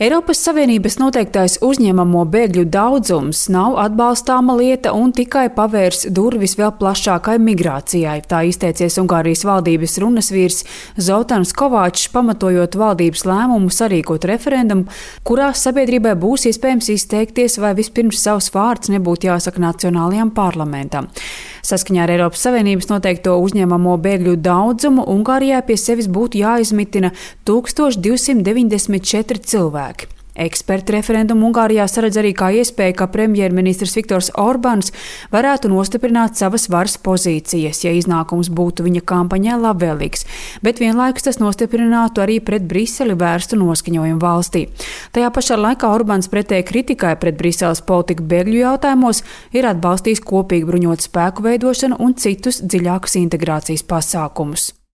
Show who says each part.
Speaker 1: Eiropas Savienības noteiktais uzņemamo bēgļu daudzums nav atbalstāma lieta un tikai pavērs durvis vēl plašākai migrācijai. Tā izteicies Ungārijas valdības runasvīrs Zoltāns Kovāčs, pamatojot valdības lēmumu sarīkot referendumu, kurā sabiedrībai būs iespējams izteikties, vai vispirms savs vārds nebūtu jāsaka Nacionālajam parlamentam. Saskaņā ar Eiropas Savienības noteikto uzņemamo bēgļu daudzumu Ungārijai pie sevis būtu jāizmitina 1294 cilvēki. Eksperti referendumu Ungārijā saredz arī kā iespēju, ka premjerministrs Viktors Orbāns varētu nostiprināt savas varas pozīcijas, ja iznākums būtu viņa kampaņai labvēlīgs, bet vienlaikus tas nostiprinātu arī pret Briseli vērstu noskaņojumu valstī. Tajā pašā laikā Orbāns pretēji kritikai pret Briseles politiku bēgļu jautājumos ir atbalstījis kopīgu bruņotu spēku veidošanu un citus dziļākus integrācijas pasākumus.